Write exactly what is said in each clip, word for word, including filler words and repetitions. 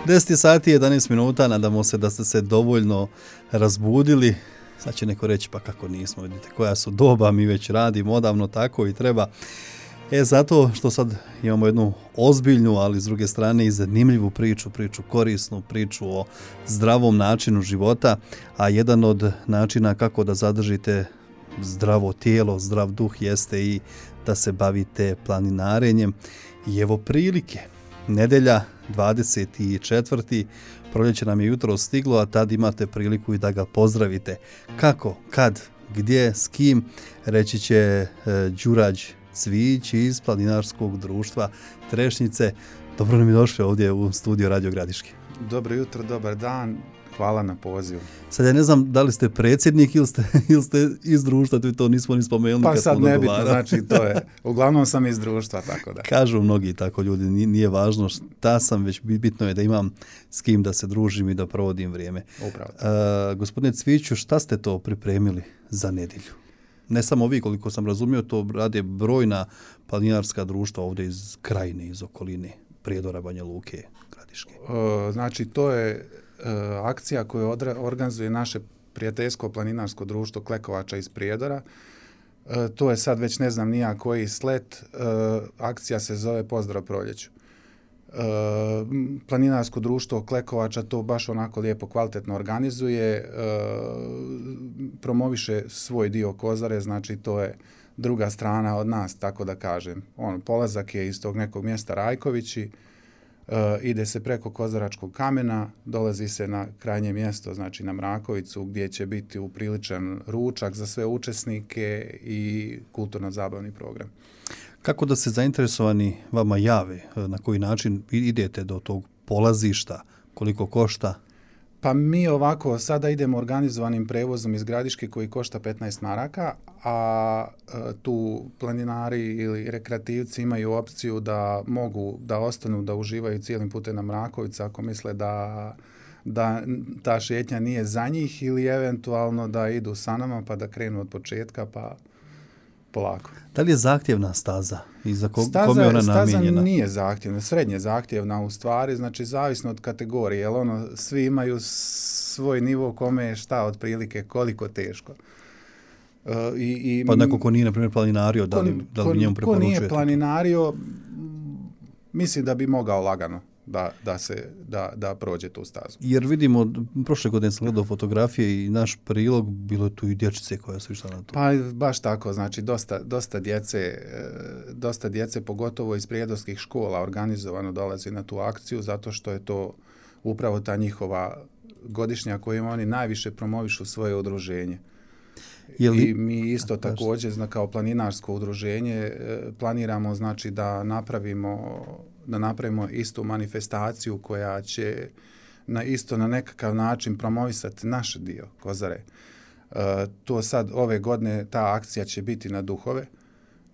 deset sati i jedanaest minuta, nadamo se da ste se dovoljno razbudili. Sad će neko reći, pa kako nismo, vidite koja su doba, mi već radimo odavno tako i treba. E, zato što sad imamo jednu ozbiljnu, ali s druge strane i zanimljivu priču, priču korisnu, priču o zdravom načinu života, a jedan od načina kako da zadržite zdravo tijelo, zdrav duh jeste i da se bavite planinarenjem. I evo prilike, nedelja dvadeset četvrti proljeće nam je jutro stiglo, a tad imate priliku i da ga pozdravite. Kako, kad, gdje, s kim, reći će e, Đurađ Cvijić iz Planinarskog društva Trešnjice. Dobro nam je došli ovdje u studio Radio Gradiške. Dobro jutro, dobar dan. Hvala na pozivu. Sad ja ne znam da li ste predsjednik ili ste, ili ste iz društva, to nismo ni spomenuli. Pa kad sad smo nebitno, znači to je. Uglavnom sam iz društva, tako da. Kažu mnogi tako ljudi, nije važno šta sam, već bitno je da imam s kim da se družim i da provodim vrijeme. Upravo. Uh, gospodine Cviću, šta ste to pripremili za nedjelju? Ne samo vi, koliko sam razumio, to rade brojna planinarska društva ovdje iz krajine, iz okoline, Prijedora, Banja Luke, Gradiške. Uh, znači to je uh, akcija koju odra- organizuje naše prijateljsko planinarsko društvo Klekovača iz Prijedora. Uh, to je sad već ne znam nija koji slet. Uh, akcija se zove Pozdrav proljeću. Uh, planinarsko društvo Klekovača to baš onako lijepo kvalitetno organizuje, uh, promoviše svoj dio Kozare, znači to je druga strana od nas, tako da kažem. On, polazak je iz tog nekog mjesta Rajkovići, uh, ide se preko Kozaračkog kamena, dolazi se na krajnje mjesto, znači na Mrakovicu, gdje će biti upriličan ručak za sve učesnike i kulturno-zabavni program. Kako da se zainteresovani vama jave? Na koji način idete do tog polazišta? Koliko košta? Pa mi ovako sada idemo organizovanim prevozom iz Gradiške koji košta petnaest maraka, a tu planinari ili rekreativci imaju opciju da mogu da ostanu, da uživaju cijelim putem na Mrakovicu ako misle da, da ta šetnja nije za njih ili eventualno da idu sa nama pa da krenu od početka pa polako. Da li je zahtjevna staza i za ko, staza, kome je ona staza namijenjena? Nije zahtjevna, srednje zahtjevna u stvari, znači zavisno od kategorije, jer ono, svi imaju svoj nivo kome je šta otprilike, koliko teško. Uh, i, i, pa neko ko nije, na primjer, planinario, da li, da li njemu preporučujete? Ko nije planinario, mislim da bi mogao lagano da, da, se, da, da prođe tu stazu. Jer vidimo, prošle godine sam gledao fotografije i naš prilog, bilo je tu i dječice koja su išla na to. Pa baš tako, znači dosta, dosta, djece, dosta djece, pogotovo iz prijedorskih škola, organizovano dolazi na tu akciju, zato što je to upravo ta njihova godišnja kojim oni najviše promovišu svoje udruženje. Li... I mi isto također kao planinarsko udruženje planiramo znači da napravimo da napravimo istu manifestaciju koja će na isto na nekakav način promovisati naš dio Kozare. Uh, to sad ove godine ta akcija će biti na Duhove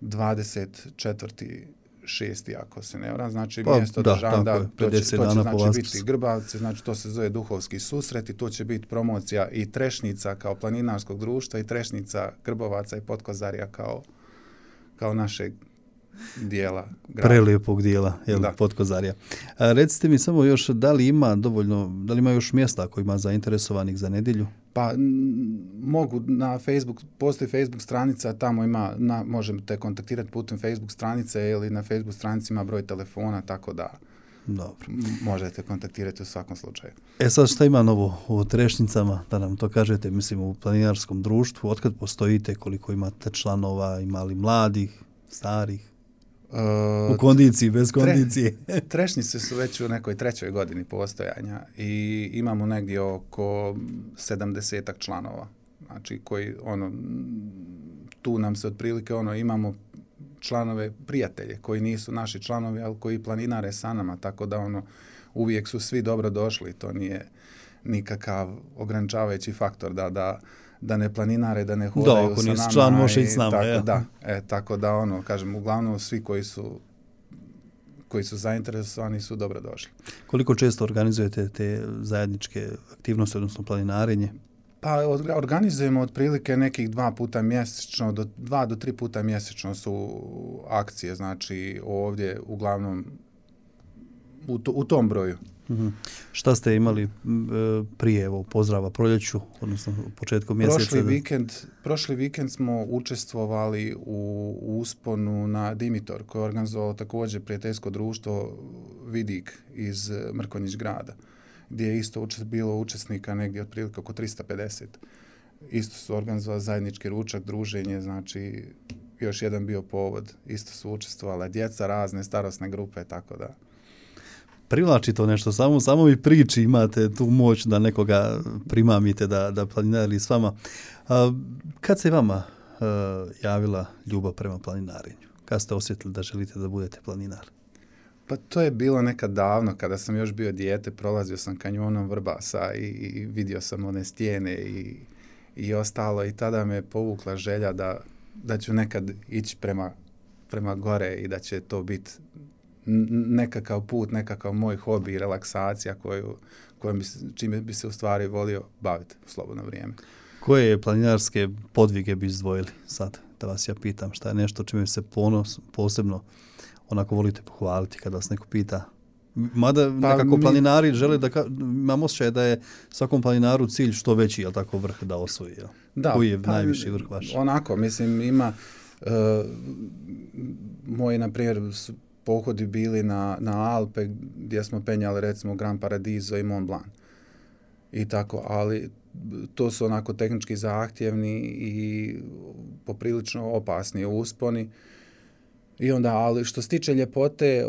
dvadeset četvrti šesti ako se ne varam, znači pa, mjesto da, državno, da, to će, to će znači biti Grbavce, znači to se zove Duhovski susret i to će biti promocija i Trešnica kao planinarskog društva i Trešnica Grbovaca i Potkozarja kao, kao našeg dijela grada. Prelijepog dijela, jel, Potkozarja. A recite mi samo još, da li ima dovoljno, da li ima još mjesta ako ima zainteresovanih za nedjelju? Pa n- mogu na Facebook, postoji Facebook stranica, tamo ima, na, možete kontaktirati putem Facebook stranice ili na Facebook stranici ima broj telefona, tako da dobro. M- možete kontaktirati u svakom slučaju. E sad šta ima novo u Trešnicama, da nam to kažete, mislim u planinarskom društvu, otkad postojite, koliko imate članova, imali mladih, starih? U kondiciji, bez kondicije. Tre, trešnice su već u nekoj trećoj godini postojanja i imamo negdje oko sedamdesetak članova. Znači koji ono tu nam se otprilike ono imamo članove prijatelje koji nisu naši članovi, ali koji planinare sa nama, tako da ono uvijek su svi dobro došli, to nije nikakav ograničavajući faktor da da da ne planinare, da ne hodaju da, ako sa nama. nisi član, može ići s nama. Tako, ja. da, e, tako da, ono, kažem, uglavnom svi koji su koji su zainteresovani su dobro došli. Koliko često organizujete te zajedničke aktivnosti, odnosno planinarenje? Pa organizujemo otprilike nekih dva puta mjesečno, do, dva do tri puta mjesečno su akcije, znači ovdje uglavnom u, to, u tom broju. Mm-hmm. Šta ste imali e, prije evo, pozdrava proljeću, odnosno u početku mjeseca? Prošli vikend, prošli vikend smo učestvovali u, u usponu na Dimitor, koje je organizovalo također prijateljsko društvo Vidik iz Mrkonjić grada, gdje je isto učest, bilo učesnika negdje otprilike oko tristo pedeset. Isto su organizovali zajednički ručak, druženje, znači još jedan bio povod. Isto su učestvovala djeca, razne starosne grupe, tako da. Privlači to nešto, samo, samo vi priči imate tu moć da nekoga primamite, da, da planinari s vama. A, kad se vama a, javila ljubav prema planinarenju? Kad ste osjetili da želite da budete planinar? Pa to je bilo nekad davno, kada sam još bio dijete, prolazio sam kanjonom Vrbasa i, i vidio sam one stijene i, i ostalo i tada me povukla želja da, da ću nekad ići prema, prema gore i da će to biti nekakav put, nekakav moj hobi i relaksacija koju, koju bi, čime bi se u stvari volio baviti u slobodno vrijeme. Koje planinarske podvige bi izdvojili sad? Da vas ja pitam, šta je nešto čime se ponos, posebno onako volite pohvaliti kada vas neko pita? Mada pa nekako mi, planinari žele da, ka, imam osjećaj da je svakom planinaru cilj što veći, jel tako, vrh da osvoji? Jel? Da, koji je pa, najviši vrh vaš? Onako, mislim, ima uh, moji, na primjer, pohodi bili na, na Alpe gdje smo penjali recimo Gran Paradiso i Mont Blanc. I tako, ali to su onako tehnički zahtjevni i poprilično opasni usponi. I onda, ali što se tiče ljepote,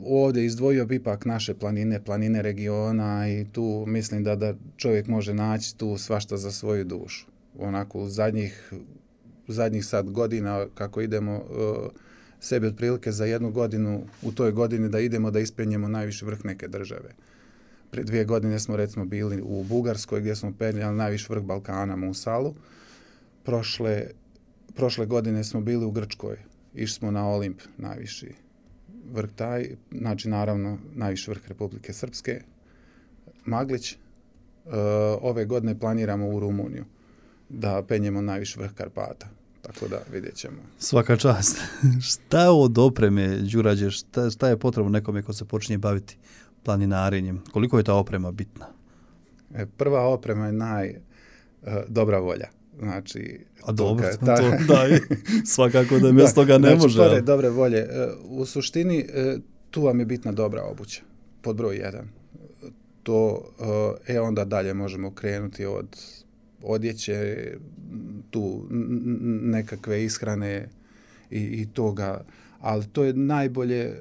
ovdje izdvojio bi ipak naše planine, planine regiona i tu mislim da, da čovjek može naći tu svašta za svoju dušu. Onako, u zadnjih, u zadnjih sad godina kako idemo uh, sebi otprilike za jednu godinu, u toj godini da idemo da ispenjemo najviši vrh neke države. Prije dvije godine smo recimo bili u Bugarskoj gdje smo penjali najviši vrh Balkana, Musalu. Prošle, prošle godine smo bili u Grčkoj. Išli smo na Olimp, najviši vrh taj, znači naravno najviši vrh Republike Srpske, Maglić. E, ove godine planiramo u Rumuniju da penjemo najviši vrh Karpata. Tako da vidjet ćemo. Svaka čast. Šta je od opreme, Đurađe, šta, šta je potrebno nekome ko se počinje baviti planinarenjem? Koliko je ta oprema bitna? E, prva oprema je naj e, dobra volja. Znači, a dobro, to, ta, to da, svakako da bez toga ne znači, može. Pored dobre volje. E, u suštini, e, tu vam je bitna dobra obuća. Pod broj jedan. To, e, onda dalje možemo krenuti od odjeće, tu nekakve ishrane i, i toga, ali to je najbolje e,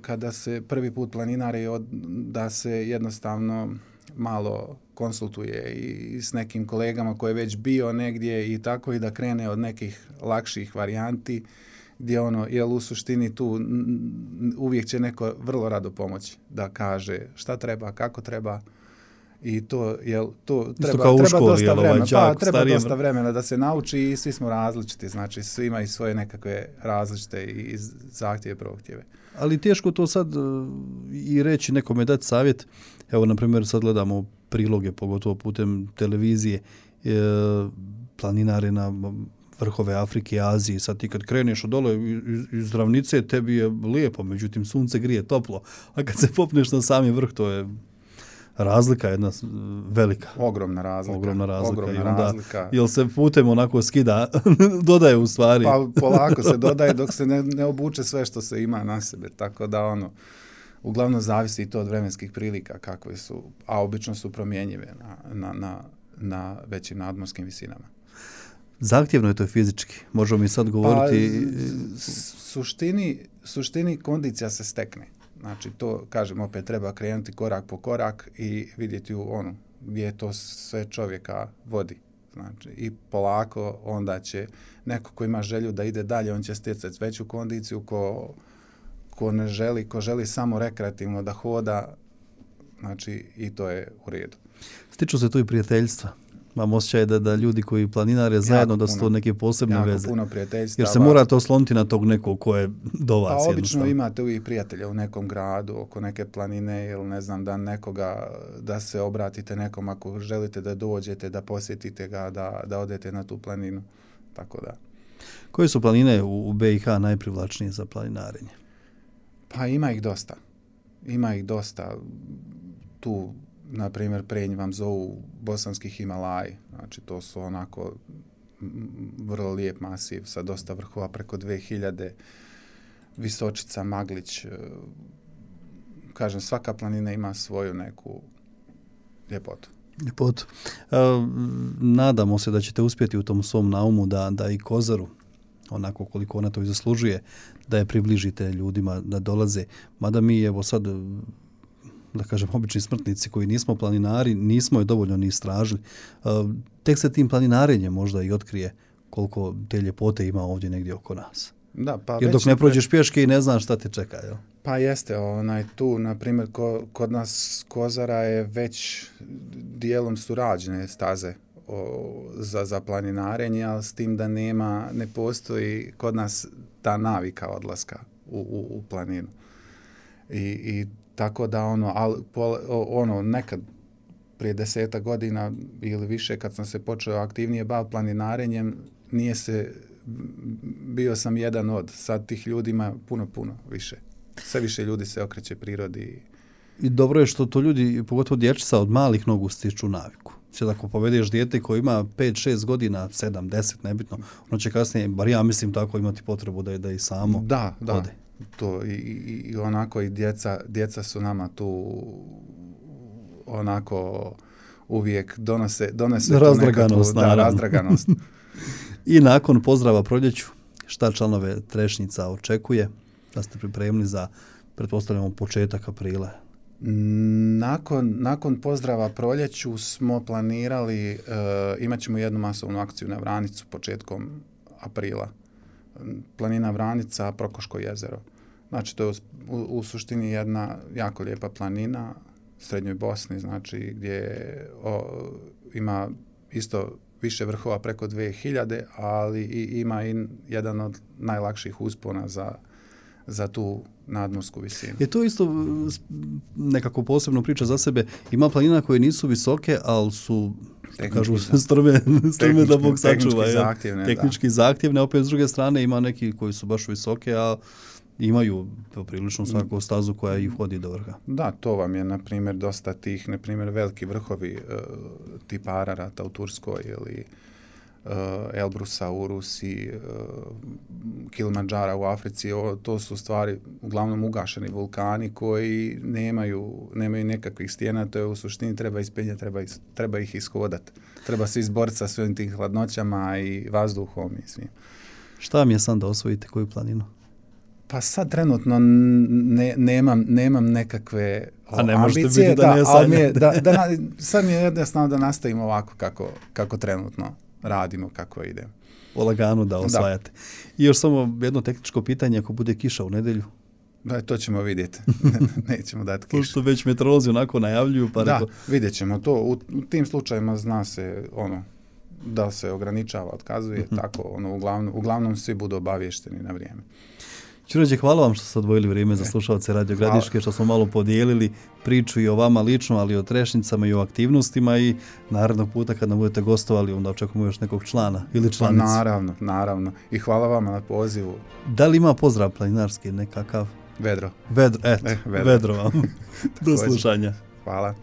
kada se prvi put planinari od, da se jednostavno malo konsultuje i s nekim kolegama koji je već bio negdje i tako i da krene od nekih lakših varijanti gdje ono, jel u suštini tu uvijek će neko vrlo rado pomoći da kaže šta treba, kako treba. I to jel to treba treba školi, dosta vremena, pa treba starijem... dosta vremena da se nauči i svi smo različiti, znači svi imaju svoje nekakve različite i zahtjeve, prohtjeve. Ali teško to sad i reći nekome dati savjet. Evo na primjer sad gledamo priloge pogotovo putem televizije, e, planinare na vrhove Afrike i Azije. Sad ti kad kreneš od dole iz, iz ravnice tebi je lijepo, međutim sunce grije toplo, a kad se popneš na sami vrh to je razlika jedna velika. Ogromna razlika. Ogromna razlika. Ogromna I onda, razlika. Jel se putem onako skida, dodaje u stvari? Pa polako se dodaje dok se ne, ne obuče sve što se ima na sebe. Tako da ono, uglavnom zavisi i to od vremenskih prilika kakve su, a obično su promjenjive na, na, na, na većim nadmorskim visinama. Zahtjevno je to fizički. Možemo mi sad govoriti... Pa, suštini, suštini kondicija se stekne. Znači, to, kažem, opet treba krenuti korak po korak i vidjeti u onu gdje to sve čovjeka vodi. Znači, i polako onda će neko ko ima želju da ide dalje, on će stjecati veću kondiciju, ko, ko ne želi, ko želi samo rekreativno da hoda, znači i to je u redu. Stiču se tu i prijateljstva. Mam osjećaj da, da ljudi koji planinare zajedno, da su to neke posebne jako veze. Puno prijateljstava. Jer se morate osloniti na tog nekog ko je do vas. Pa obično imate uvijek prijatelja u nekom gradu, oko neke planine ili ne znam, da nekoga, da se obratite nekom ako želite da dođete, da posjetite ga, da, da odete na tu planinu. Tako da. Koje su planine u, u B i H najprivlačnije za planinarenje? Pa ima ih dosta. ima ih dosta. Tu, na primjer, Prenj vam zovu Bosanski Himalaji. Znači, to su onako vrlo lijep masiv sa dosta vrhova, preko dvije hiljade. Visočica, Maglić. Kažem, svaka planina ima svoju neku ljepotu. Ljepotu. E, nadamo se da ćete uspjeti u tom svom naumu da, da i Kozaru, onako koliko ona to i zaslužuje, da je približite ljudima da dolaze. Mada mi, evo sad, da kažem, obični smrtnici koji nismo planinari, nismo je dovoljno ni istražili. E, tek se tim planinarenjem možda i otkrije koliko te ljepote ima ovdje negdje oko nas. Da, pa jer dok ne prođeš pješke i ne znaš šta te čeka, jel? Pa jeste, onaj tu, na primjer, ko, kod nas Kozara je već dijelom su rađene staze o, za, za planinarenje, ali s tim da nema, ne postoji kod nas ta navika odlaska u, u, u planinu. I, i tako da ono, al, pol, ono, nekad prije deseta godina ili više kad sam se počeo aktivnije baviti planinarenjem, nije se, bio sam jedan od, sad tih ljudi ima puno, puno više. Sve više ljudi se okreće prirodi. I dobro je što to ljudi, pogotovo dječica, od malih nogu stiču naviku. Sve ako povedeš dijete koji ima pet šest godina, sedam deset, nebitno, ono će kasnije, bar ja mislim tako, imati potrebu da je da i samo da, da. ode. To, i, i onako i djeca, djeca su nama tu onako uvijek donose, donose razdraganost, nekakvu, da, razdraganost. I nakon pozdrava proljeću, šta članove Trešnjica očekuje? Da ste pripremili za, pretpostavljamo, početak aprila? Nakon, nakon pozdrava proljeću smo planirali, uh, imat ćemo jednu masovnu akciju na Vranicu početkom aprila. Planina Vranica, Prokoško jezero. Znači, to je u, u suštini jedna jako lijepa planina u Srednjoj Bosni, znači gdje o, ima isto više vrhova preko dvije hiljade, ali i, ima i jedan od najlakših uspona za za tu nadmorsku visinu. Je to isto nekako posebno priča za sebe. Ima planina koje nisu visoke, ali su tehnički, kažu, strme, strme da Bog sačuva. Tehnički zahtjevne. Tehnički zahtjevne. Opet s druge strane ima neki koji su baš visoke, a imaju prilično svaku stazu koja ih vodi do vrha. Da, to vam je, na primjer, dosta tih, na primjer, veliki vrhovi uh, tipa Ararata u Turskoj ili Uh, Elbrusa u Rusiji, uh, Kilimandžara u Africi, o, to su stvari uglavnom ugašeni vulkani koji nemaju, nemaju nekakvih stijena, to je u suštini treba ispenjati, treba, is, treba ih ishodati. Treba se izboriti sa svim tim hladnoćama i vazduhom i svim. Šta mi je sam da osvojite koju planinu? Pa sad trenutno ne, nemam, nemam nekakve o, A ne možete ambicije, biti da, da ne je, da, da, da, sad mi je jednostavno da nastavim ovako kako, kako trenutno radimo, kako ide. O laganu da osvajate. Da. I još samo jedno tehničko pitanje, ako bude kiša u nedjelju? Da, to ćemo vidjeti. Nećemo dati kišu. Pošto već meteorolozi onako najavljuju. Pa da, reko... vidjet ćemo to. U, u tim slučajima zna se ono da se ograničava, otkazuje, mm-hmm. tako, ono, uglavnom, uglavnom svi budu obavješteni na vrijeme. Ćuređe, hvala vam što ste odvojili vrijeme za slušalce Radio Gradiške, što smo malo podijelili priču i o vama lično, ali i o Trešnicama i o aktivnostima i narednog puta kad nam budete gostovali, onda očekujemo još nekog člana ili članicu. Pa naravno, naravno. I hvala vama na pozivu. Da li ima pozdrav planinarski nekakav? Vedro. Vedro, eto, eh, vedro. vedro vam. Do slušanja. Hvala.